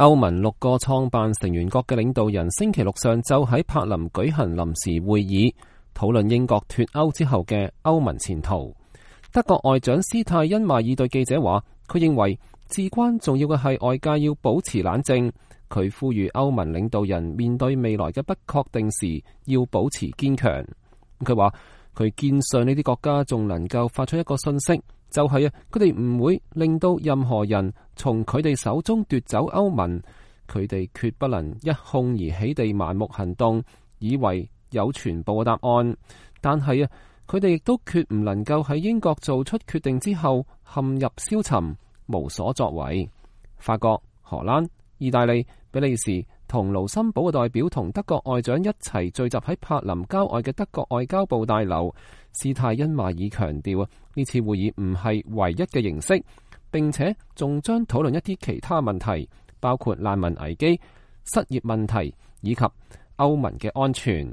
歐盟6個創辦成員國嘅領導人星期六上晝喺柏林舉行臨時會議，討論英國脫歐之後嘅歐盟前途。德國外長施泰因邁爾對記者話，佢認為至關重要嘅係外界要保持冷靜。佢呼籲歐盟領導人面對未來嘅不確定時要保持堅強。佢話佢堅信呢啲國家仲能夠發出一個信息，就係佢哋唔會令到任何人從佢哋手中奪走歐盟。佢哋決不能一哄而起地盲目行動，以為有全部嘅答案。但係佢哋亦都決唔能夠喺英國做出決定之後陷入消沉，無所作為。法國、荷蘭、意大利、比利時同盧森堡嘅代表同德國外長一齊聚集喺柏林郊外嘅德國外交部大樓。施泰因邁爾強調呢次會議唔係唯一嘅形式，並且仲將討論一啲其他問題，包括難民危機、失業問題以及歐盟嘅安全。